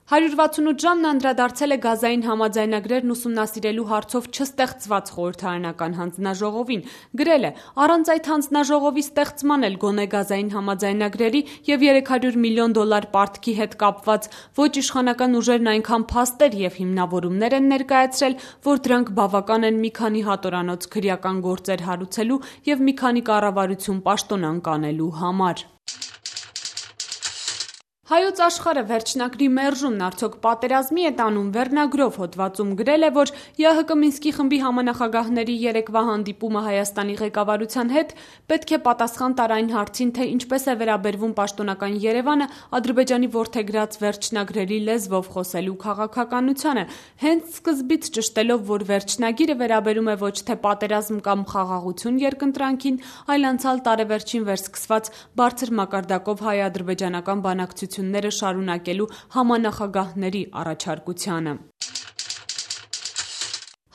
168 ժամն անդրադարձել է գազային համաձայնագրերն ուսումնասիրելու հարցով չստեղծված խորհրդարանական հանձնաժողովին, գրել է. առանց այդ հանձնաժողովի ստեղծման էլ գոնե գազային համաձայնագրերի և $300 միլիոն պարտքի հետ կապված ոչ իշխանական ուժերն այնքան փաստեր և հիմնավորումներ են ներկայացրել, որ դրանք բավական են մի քանի հատորանոց քրեական գործեր հարուցելու և մի քանի կառավարություն պաշտոնանկ անելու համար։ Հայոց աշխարհը վերջնագրի մերժումն արդյոք պատերազմի է տանում վերնագրով հոդվածում գրել է, որ ԵԱՀԿ Մինսկի խմբի համանախագահների երեկվա հանդիպումը Հայաստանի ղեկավարության հետ պետք է պատասխան տար այն հարցին, թե ինչպես է վերաբերվում պաշտոնական Երևանը Ադրբեջանի որդեգրած վերջնագրերի լեզվով խոսելու քաղաքականությանը, հենց սկզբից ճշտելով, որ վերջնագիրը վերաբերում է ոչ թե պատերազմ կամ խաղաղություն երկընտրանքին, այլ անցյալ տարեվերջին վերսկսված բարձր մակարդակով հայ-ադրբեջանական բանակցությունները շարունակելու համանախագահների առաջարկությանը։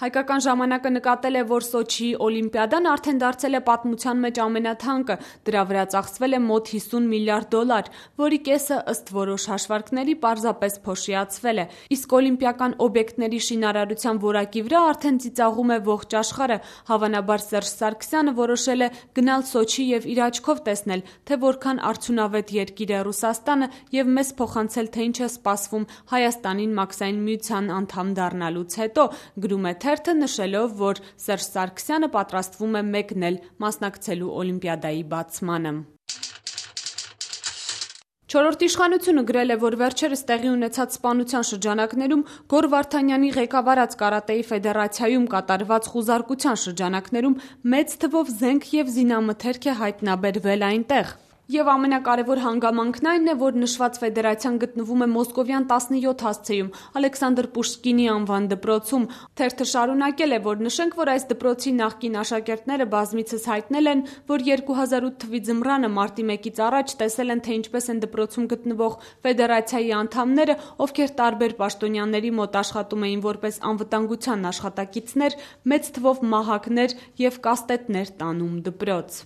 Հայկական ժամանակը նկատել է, որ Սոչիի օլիմպիադան արդեն դարձել է պատմության մեջ ամենաթանկը, դրա վրա ծախսվել է մոտ $50 միլիարդ, որի կեսը ըստ որոշ հաշվարկների պարզապես փոշիացվել է, իսկ օլիմպիական օբյեկտների շինարարության որակի վրա արդեն ծիծաղում է ողջ աշխարհը, հավանաբար Սերժ Սարգսյանը որոշել է գնալ Սոչի և իր աչքով տեսնել, թե որքան արդյունավետ երկիր է Ռուսաստանը և մեզ փոխանցել, թե ինչ է սպասվում Հայաստանին Մաքսային միության անդամ դառնալուց հետո, գրում է թերթը նշելով, որ Սերժ Սարգսյանը պատրաստվում է մեկնել մասնակցելու օլիմպիադայի բացմանը։ Չորրորդ իշխանությունը գրել է, որ վերջերս տեղի ունեցած սպանության շրջանակներում Գոռ Վարդանյանի ղեկավարած Կարատեի ֆեդերացիայում կատարված խուզարկության շրջանակներում մեծ թվով զենք և զինամթերք է հայտնաբերվել այնտեղ։ Եվ ամենակարևոր հանգամանքն այն է, որ նշված ֆեդերացիան գտնվում է Մոսկովյան 17 հասցեում Ալեքսանդր Պուշկինի անվան դպրոցում։ Թերթը շարունակել է, որ նշենք, որ այս դպրոցի նախկին աշակերտները բազմիցս հայտնել են, որ 2008 թվականի ձմռանը մարտի 1-ից առաջ տեսել են, թե ինչպես են դպրոցում գտնվող ֆեդերացիայի անդամները, ովքեր տարբեր պաշտոնյաների մոտ աշխատում էին որպես անվտանգության աշխատակիցներ, մեծ թվով մահակներ և կաստետներ տանում դպրոց։